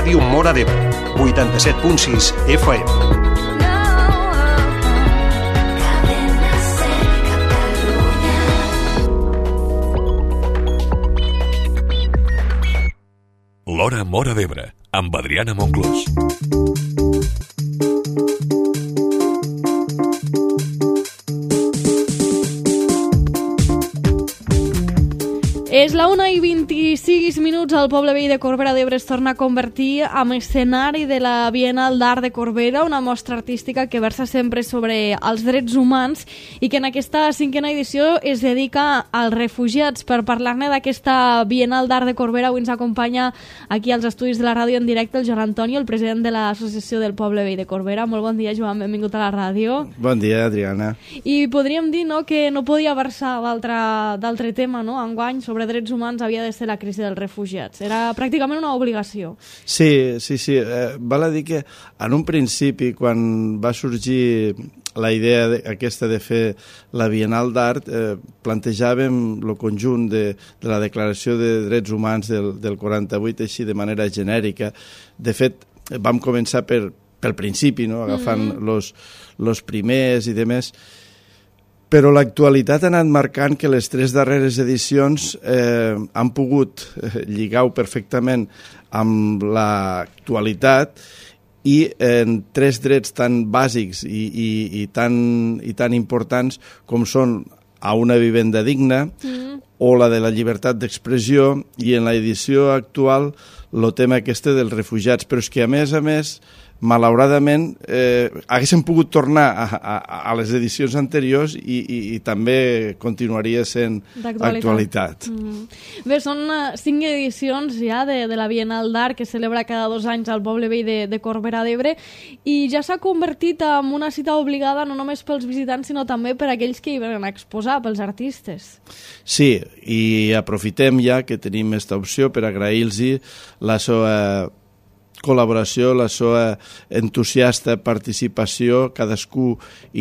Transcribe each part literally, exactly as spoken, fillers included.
Ràdio Móra d'Ebre, vuitanta-set punt sis F M. L'Hora Móra d'Ebre, amb Adriana Monclús. És la una i vint-i-sis minuts. El poble veí de Corbera d'Ebre es torna a convertir en escenari de la Bienal d'Art de Corbera, una mostra artística que versa sempre sobre els drets humans i que en aquesta cinquena edició es dedica als refugiats. Per parlar-ne d'aquesta Bienal d'Art de Corbera, avui ens acompanya aquí als estudis de la ràdio en directe el Joan Antonio, el president de l'Associació del Poble Veí de Corbera. Molt bon dia, Joan, benvingut a la ràdio. Bon dia, Adriana. I podríem dir, no, que no podia versar d'altre tema, no?, enguany sobre drets humans havia de ser la crisi dels refugiats. Era pràcticament una obligació. Sí, sí, sí. Eh, val a dir que en un principi, quan va sorgir la idea de, aquesta de fer la Bienal d'Art, eh, plantejàvem el conjunt de, de la Declaració de Drets Humans del, del quaranta-vuit així de manera genèrica. De fet, vam començar per, pel principi, no?, agafant mm-hmm. los, los primers i demés. Però l'actualitat ha anat marcant que les tres darreres edicions eh, han pogut eh, lligar-ho perfectament amb l'actualitat i en tres drets tan bàsics i, i, i, tan, i tan importants com són a una vivenda digna mm. o la de la llibertat d'expressió, i en l'edició actual el tema aquest dels refugiats. Però és que, a més a més, malauradament, eh, haguéssim pogut tornar a, a, a les edicions anteriors i, i, i també continuaria sent actualitat. Mm. Bé, són uh, cinc edicions ja de, de la Bienal d'Art que celebra cada dos anys al poble veí de, de Corbera d'Ebre, i ja s'ha convertit en una cita obligada no només pels visitants sinó també per aquells que hi venen a exposar, pels artistes. Sí, i aprofitem ja que tenim aquesta opció per agrair-los la seva col·laboració, la seva entusiasta participació. Cadascú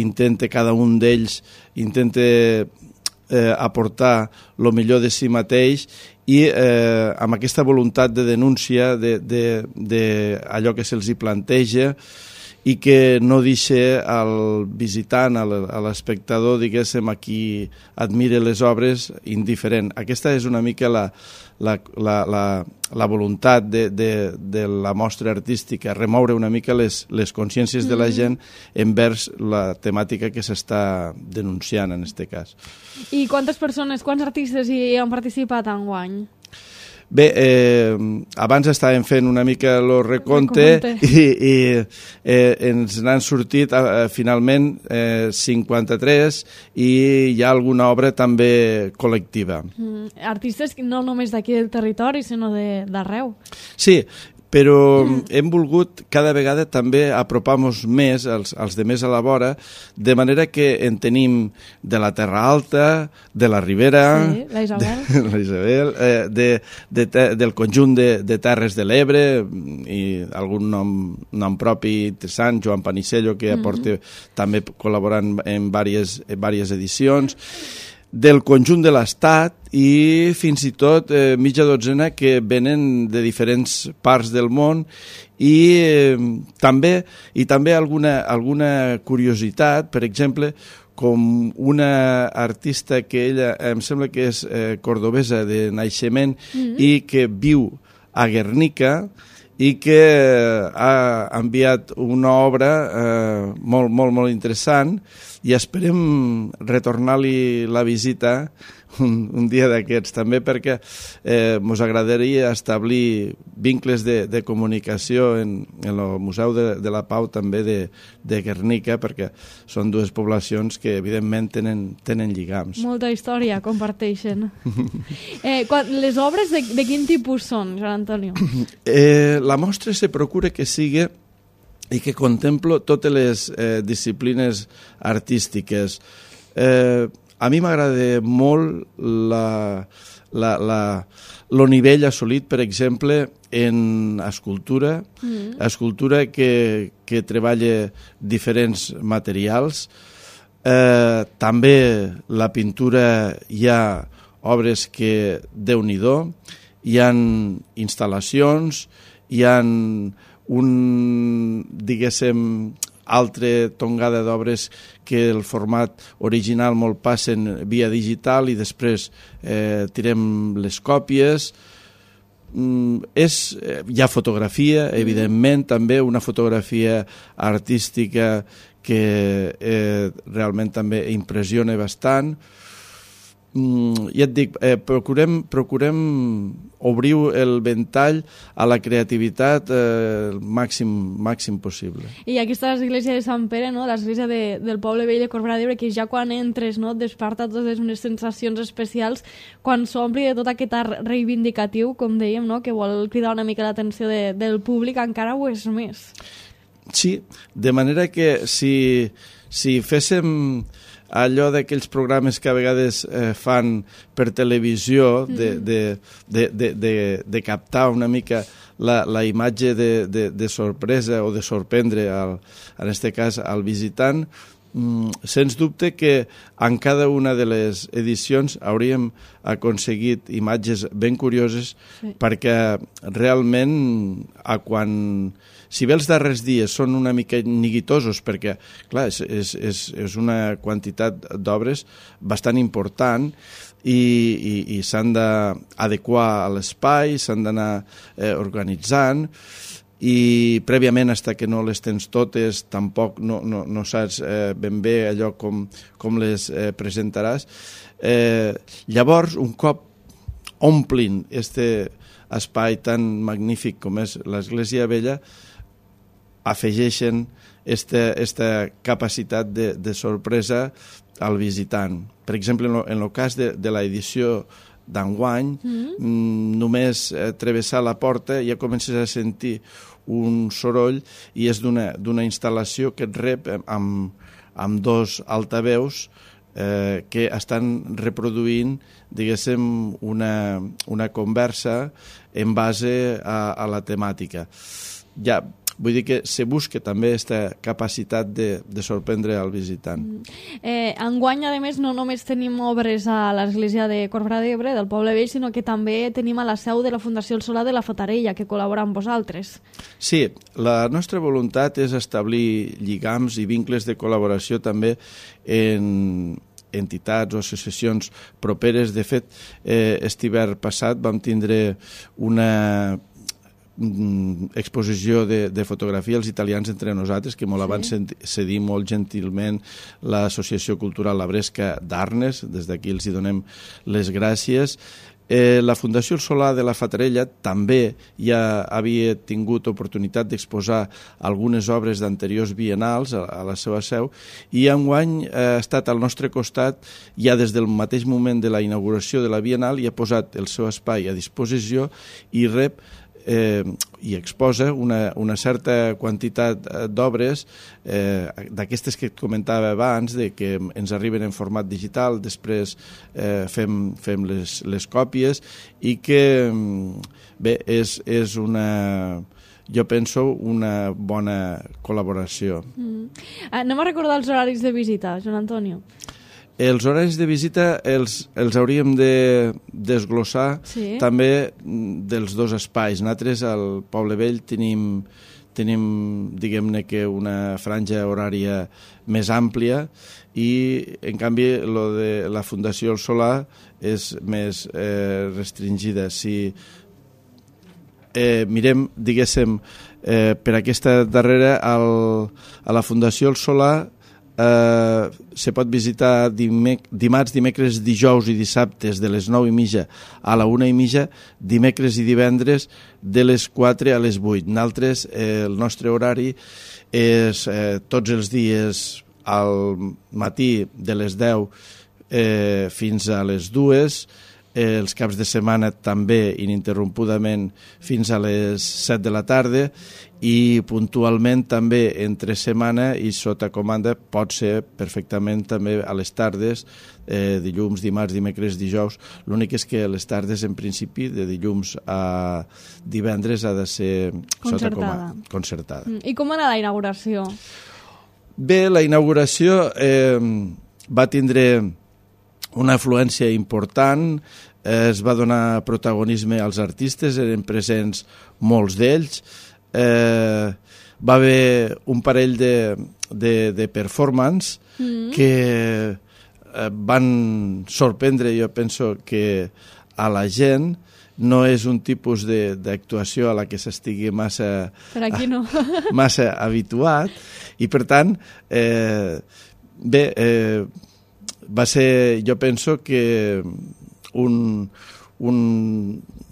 intenta, cada un d'ells intenta eh, aportar el millor de si mateix i eh, amb aquesta voluntat de denúncia de, de, de allò que se'ls hi planteja i que no deixa al visitant, a l'espectador, diguéssim, a qui admira les obres, indiferent. Aquesta és una mica la, la, la, la, la voluntat de, de, de la mostra artística, remoure una mica les, les consciències de la gent envers la temàtica que s'està denunciant en aquest cas. I quantes persones, quants artistes hi han participat enguany? Bé, eh, abans estàvem fent una mica el recompte, recompte. i, i eh, ens n'han sortit eh, finalment eh, cinquanta-tres i hi ha alguna obra també col·lectiva. Mm, artistes no només d'aquí del territori, sinó d'arreu. Sí, però mm. hem volgut cada vegada també apropar-nos més als, als de més a la vora, de manera que en tenim de la Terra Alta, de la Ribera, sí, la Isabel, de, la Isabel eh, de, de, de, del conjunt de, de Terres de l'Ebre i algun nom, nom propi interessant, Joan Panicello, que aporta mm-hmm. també col·laborant en diverses, en diverses edicions, del conjunt de l'Estat i fins i tot eh, mitja dotzena que venen de diferents parts del món i eh, també i també alguna, alguna curiositat, per exemple, com una artista que ella em sembla que és eh, cordobesa de naixement mm-hmm. i que viu a Guernica i que ha enviat una obra eh, molt, molt, molt interessant, i esperem retornar-li la visita un, un dia d'aquests també, perquè eh, ens agradaria establir vincles de, de comunicació en, en el Museu de, de la Pau també de, de Guernica, perquè són dues poblacions que evidentment tenen, tenen lligams. Molta història comparteixen. eh, quan, les obres de, de quin tipus són, Joan Antonio? Eh, la mostra se procura que sigui i que contemplo totes les eh, disciplines artístiques. Eh, a mi m'agrada molt la, la, la, el nivell assolit, per exemple, en escultura, mm. escultura que, que treballa diferents materials. Eh, també la pintura, hi ha obres que, Déu-n'hi-do, hi ha instal·lacions, hi ha un, diguéssim, altre tongada d'obres que el format original molt passen via digital i després eh, tirem les còpies. Mm, és, hi ha fotografia, evidentment, també una fotografia artística que eh, realment també impressiona bastant. Mm, ja et dic, eh, procurem, procurem obrir el ventall a la creativitat eh, el màxim, màxim possible. I aquí està l'església de Sant Pere, no? L'església de, del poble vell de Corbera d'Ebre, que ja quan entres, no, et desperta totes unes sensacions especials quan s'ompli de tot aquest art reivindicatiu, com dèiem, no? Que vol cridar una mica l'atenció de, del públic, encara ho és més. Sí, de manera que si, si féssim allò d'aquells programes que a vegades eh, fan per televisió de, de, de, de, de, de captar una mica la, la imatge de, de, de sorpresa o de sorprendre, al, en aquest cas, al visitant, mm, sens dubte que en cada una de les edicions hauríem aconseguit imatges ben curioses, sí, perquè realment a quan... Si bé els darrers dies són una mica neguitosos, perquè, clar, és, és, és, és una quantitat d'obres bastant important i, i, i s'han d'adequar a l'espai, s'han d'anar eh, organitzant, i prèviament, fins que no les tens totes, tampoc no, no, no saps eh, ben bé allò com, com les eh, presentaràs. Eh, llavors, un cop omplin este espai tan magnífic com és l'Església Vella, afegeixen esta, esta capacitat de, de sorpresa al visitant. Per exemple, en el, en el cas de, de l'edició d'enguany, mm-hmm. només eh, travessar la porta ja comences a sentir un soroll i és d'una d'una instal·lació que et rep amb, amb dos altaveus eh, que estan reproduint, diguéssim, una, una conversa en base a, a la temàtica. Ja, vull dir que se busca també aquesta capacitat de, de sorprendre al visitant. Eh, enguany, a més, no només tenim obres a l'església de Corbera d'Ebre, del Poble Vell, sinó que també tenim a la seu de la Fundació El Solà de la Fatarella, que col·labora amb vosaltres. Sí, la nostra voluntat és establir lligams i vincles de col·laboració també en entitats o associacions properes. De fet, eh, aquest hivern passat vam tindre una exposició de, de fotografia als italians entre nosaltres, que molt abans sí. cedir molt gentilment l'Associació Cultural La Bresca d'Arnes, des d'aquí els hi donem les gràcies. Eh, la Fundació El Solà de la Fatarella també ja havia tingut oportunitat d'exposar algunes obres d'anteriors biennals a, a la seva seu, i enguany ha estat al nostre costat ja des del mateix moment de la inauguració de la Biennal i ha posat el seu espai a disposició i rep Eh, i exposa una, una certa quantitat d'obres eh, d'aquestes que et comentava abans, de que ens arriben en format digital, després eh, fem, fem les, les còpies, i que bé, és, és una, jo penso, una bona col·laboració. Mm. Anem a recordar els horaris de visita, Joan Antonio. Els horaris de visita els, els hauríem de desglossar sí. també dels dos espais. Nosaltres al Poble Vell tenim, tenim diguem-ne que una franja horària més àmplia, i en canvi lo de la Fundació El Solà és més eh, restringida. Si eh, mirem, diguéssim, eh, per aquesta darrera, al, a la Fundació El Solà Uh, se pot visitar dimec dimarts, dimecres, dijous i dissabtes de les nou i mitja a la una i mitja, dimecres i divendres de les quatre a les vuit. Nosaltres, eh, el nostre horari és eh, tots els dies al matí de les deu eh, fins a les dues, eh, els caps de setmana també ininterrompudament fins a les set de la tarda, i puntualment també entre setmana i sota comanda pot ser perfectament també a les tardes, eh, dilluns, dimarts, dimecres, dijous. L'únic és que a les tardes, en principi, de dilluns a divendres ha de ser concertada. Sota comanda, concertada. Mm. I com va anar la inauguració? Bé, la inauguració eh, va tindre una afluència important. es va donar protagonisme als artistes, eren presents molts d'ells, eh, va haver un parell de, de, de performance mm. que eh, van sorprendre, jo penso que a la gent. No és un tipus d'actuació a la que s'estigui massa, per aquí no. massa habituat, i per tant, eh, bé, eh, va ser, jo penso que un, un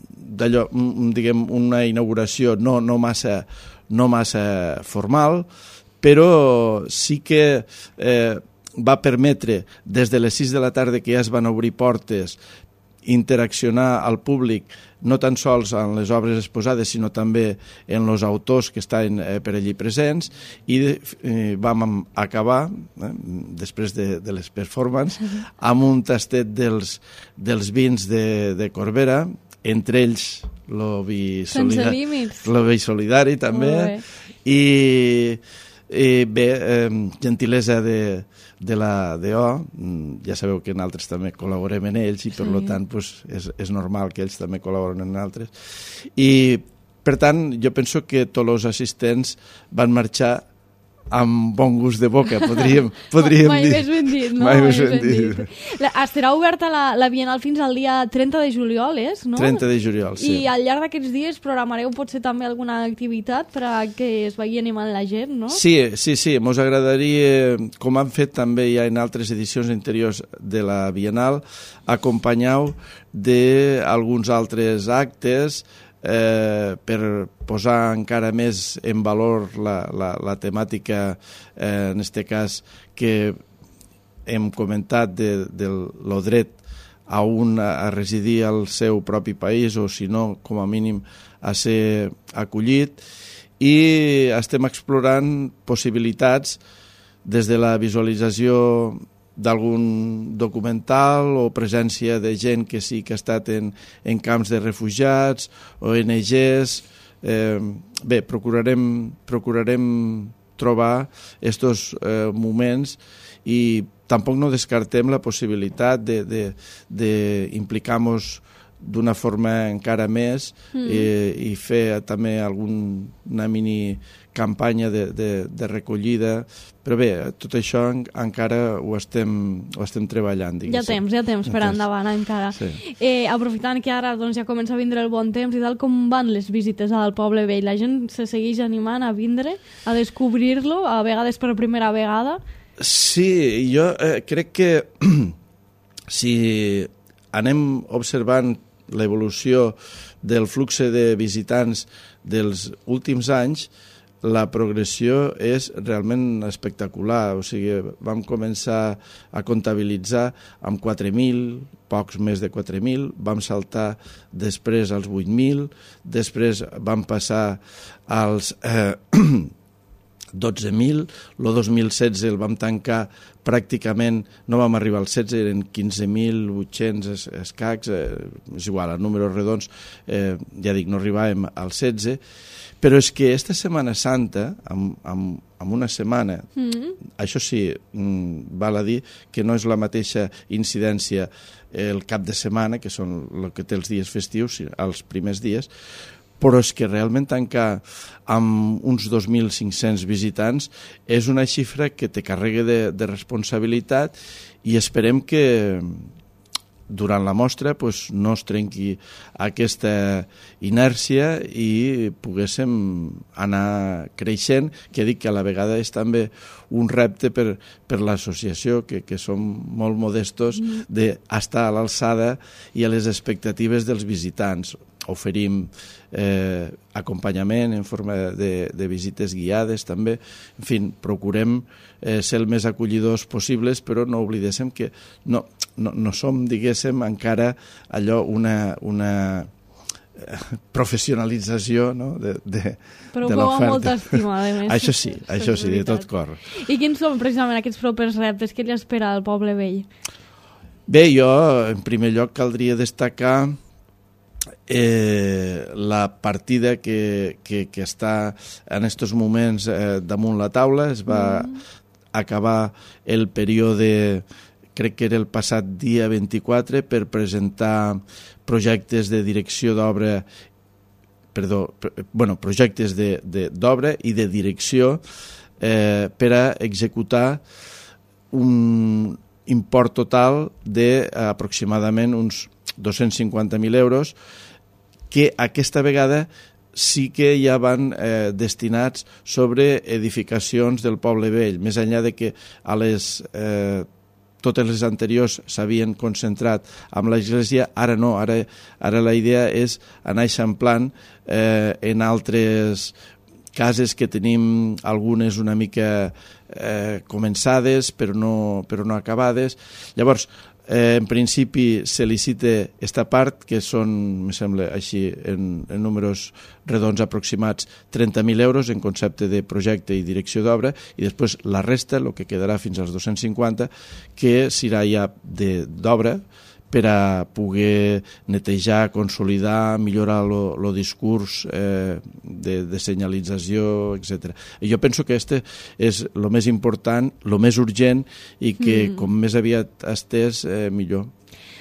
d'allò, un, diguem, una inauguració no, no, massa, no massa formal, però sí que eh, va permetre, des de les sis de la tarda que ja es van obrir portes, interaccionar al públic no tan sols en les obres exposades, sinó també en els autors que estaven eh, per allí presents, i eh, vam acabar, eh, després de, de les performances, amb un tastet dels, dels vins de, de Corbera, entre ells lo vi, solida lo vi solidari també, i, i bé, eh, gentilesa de de la D O, ja sabeu que nosaltres també col·laborem en ells i per sí. tant pues, és, és normal que ells també col·laboren en altres. I per tant jo penso que tots els assistents van marxar amb bon gust de boca, podríem, podríem Mai dir. Mai més ben dit, no? Mai més ben dit. La, estarà oberta la, la Bienal fins al dia trenta de juliol, és? No? trenta de juliol, sí. I al llarg d'aquests dies programareu potser també alguna activitat per a que es vagi animant la gent, no? Sí, sí, sí. Mos agradaria, com han fet també ja en altres edicions anteriors de la Bienal, acompanyar-ho d'alguns altres actes Eh, per posar encara més en valor la, la, la temàtica, eh, en aquest cas que hem comentat de, de lo dret a un a residir al seu propi país, o si no, com a mínim a ser acollit, i estem explorant possibilitats des de la visualització d'algun documental o presència de gent que sí que ha estat en, en camps de refugiats, O N Ges. Eh, bé, procurarem, procurarem trobar aquests eh, moments, i tampoc no descartem la possibilitat d'implicar-nos d'una forma encara més mm. eh, i fer també alguna mini campanya de, de, de recollida, però bé, tot això en, encara ho estem, ho estem treballant. Diguéssim. Ja temps, ja temps per endavant encara. Sí. Eh, aprofitant que ara doncs, ja comença a vindre el bon temps i tal, com van les visites al Poble Vell? La gent se segueix animant a vindre, a descobrir-lo, a vegades per primera vegada? Sí, jo eh, crec que si anem observant l'evolució del flux de visitants dels últims anys, la progressió és realment espectacular. O sigui, vam començar a comptabilitzar amb quatre mil, pocs més de quatre mil, vam saltar després als vuit mil, després vam passar als eh, dotze mil, el dos mil setze el vam tancar pràcticament, no vam arribar als setze, eren quinze mil vuit-cents escacs, eh, és igual, a números redons, eh, ja dic, no arribàvem als setze, però és que esta Setmana Santa, amb, amb, amb una setmana, mm. això sí, val a dir que no és la mateixa incidència el cap de setmana, que són el que té els dies festius, els primers dies, però és que realment tancar amb uns dos mil cinc-cents visitants és una xifra que te carrega de, de responsabilitat, i esperem que durant la mostra pues, no es trenqui aquesta inèrcia i poguéssim anar creixent, que dic que a la vegada és també un repte per, per l'associació, que, que som molt modestos d'estar a l'alçada i a les expectatives dels visitants. Oferim eh, acompanyament en forma de, de visites guiades també. En fi, procurem eh, ser el més acollidors possibles, però no oblidéssim que no, no, no som, diguéssim, encara allò una, una professionalització, no? de, de, però de l'oferta. Però amb molta estima, a més. Això sí, això sí, de tot cor. I quins són precisament aquests propers reptes? Què li espera al Poble Vell? Bé, jo, en primer lloc, caldria destacar Eh, la partida que, que, que està en aquests moments eh, damunt la taula. Es va mm. acabar el període crec que era el passat dia vint-i-quatre, per presentar projectes de direcció d'obra, perdó, bueno, projectes d'obra i de direcció eh, per a executar un import total d'aproximadament uns dos-cents cinquanta mil euros, que aquesta vegada sí que ja van eh, destinats sobre edificacions del Poble Vell, més enllà de que a les, eh, totes les anteriors s'havien concentrat amb l'església, ara no, ara, ara la idea és anar eixamplant eh, en altres cases que tenim, algunes una mica eh, començades però no, però no acabades. Llavors, Eh, en principi se licita esta part, que són, me sembla així, en, en números redons aproximats, trenta mil euros en concepte de projecte i direcció d'obra, i després la resta, el que quedarà fins als dos-cents cinquanta, que serà ja d'obra, per a poder netejar, consolidar, millorar el discurs eh, de, de senyalització, etcètera. I jo penso que este és el més important, el més urgent, i que mm. com més aviat estés, eh, millor.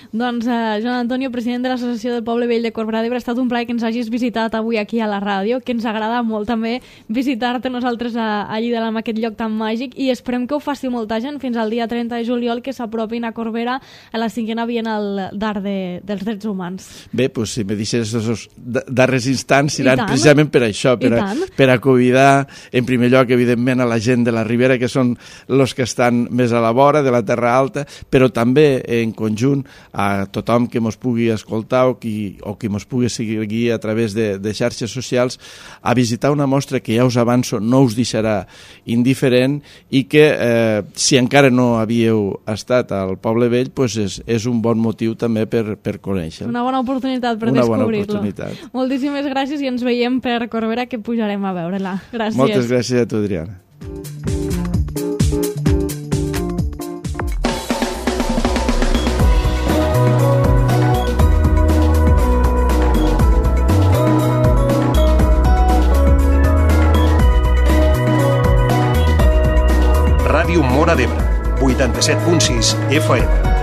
Doncs, eh, Joan Antonio, president de l'Associació del Poble Vell de Corbera d'Ebre, ha estat un plaer que ens hagis visitat avui aquí a la ràdio, que ens agrada molt també visitar-te nosaltres a, a Llida, en aquest lloc tan màgic, i esperem que ho faci molta gent fins al dia trenta de juliol, que s'apropin a Corbera a la cinquena Bienal d'Art de, dels Drets Humans. Bé, doncs si me deixes els darrers instants seran precisament per això, per a, per a convidar en primer lloc, evidentment, a la gent de la Ribera, que són els que estan més a la vora de la Terra Alta, però també en conjunt a tothom que mos pugui escoltar o qui, o qui mos pugui seguir a través de, de xarxes socials, a visitar una mostra que ja us avanço no us deixarà indiferent, i que eh, si encara no havíeu estat al Poble Vell, pues és, és un bon motiu també per, per conèixer. Una bona oportunitat per descobrir-lo. Moltíssimes gràcies i ens veiem per Corbera, que pujarem a veure-la. Gràcies. Moltes gràcies a tu, Adriana. Ràdio Móra d'Ebre, vuitanta-set punt sis F M.